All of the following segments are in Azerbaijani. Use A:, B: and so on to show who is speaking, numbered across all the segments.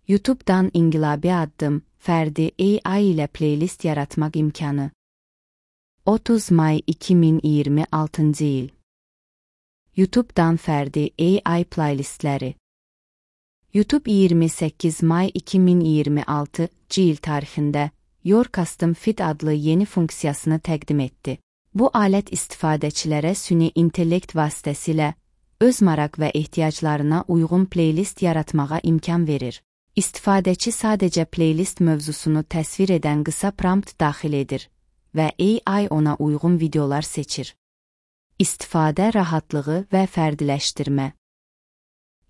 A: YouTube-dan inqilabi addım, fərdi AI ilə playlist yaratmaq imkanı. 30 may 2026 il. YouTube-dan fərdi AI playlistləri. YouTube 28 may 2026 il tarixində Your Custom Fit adlı yeni funksiyasını təqdim etdi. Bu alət istifadəçilərə süni intellekt vasitəsilə öz maraq və ehtiyaclarına uyğun playlist yaratmağa imkan verir. İstifadəçi sadəcə playlist mövzusunu təsvir edən qısa prompt daxil edir və AI ona uyğun videolar seçir. İstifadə rahatlığı və fərdiləşdirmə.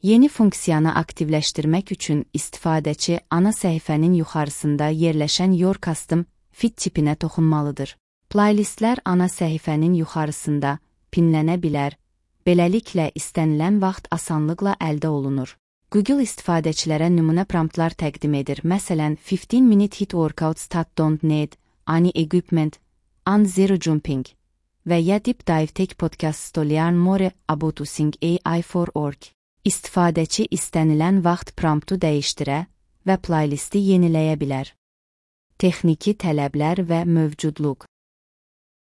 A: Yeni funksiyanı aktivləşdirmək üçün istifadəçi ana səhifənin yuxarısında yerləşən Your Custom Fit tipinə toxunmalıdır. Playlistlər ana səhifənin yuxarısında pinlənə bilər, beləliklə istənilən vaxt asanlıqla əldə olunur. Google istifadəçilərə nümunə promptlar təqdim edir, məsələn, 15-minute hit workouts that don't need any equipment, and zero jumping və ya Deep Dive Tech Podcast to learn more about using AI for work. İstifadəçi istənilən vaxt promptu dəyişdirə və playlisti yeniləyə bilər. Texniki tələblər və mövcudluq.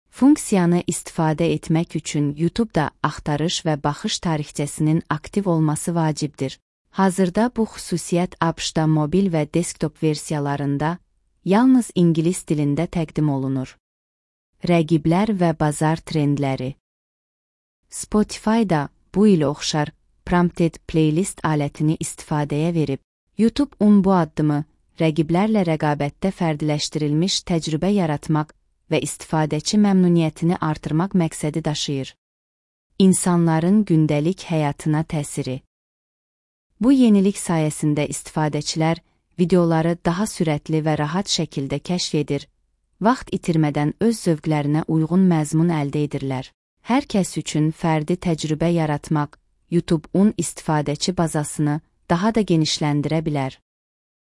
A: Funksiyanı istifadə etmək üçün YouTube-da axtarış və baxış tarixçəsinin aktiv olması vacibdir. Hazırda bu xüsusiyyət ABŞ-da mobil və desktop versiyalarında yalnız ingilis dilində təqdim olunur. Rəqiblər və bazar trendləri. Spotify-da bu ilə oxşar Prompted Playlist alətini istifadəyə verib. YouTube bu addımı rəqiblərlə rəqabətdə fərdiləşdirilmiş təcrübə yaratmaq və istifadəçi məmnuniyyətini artırmaq məqsədi daşıyır. İnsanların gündəlik həyatına təsiri. Bu yenilik sayəsində istifadəçilər videoları daha sürətli və rahat şəkildə kəşf edir, vaxt itirmədən öz zövqlərinə uyğun məzmun əldə edirlər. Hər kəs üçün fərdi təcrübə yaratmaq YouTube istifadəçi bazasını daha da genişləndirə bilər.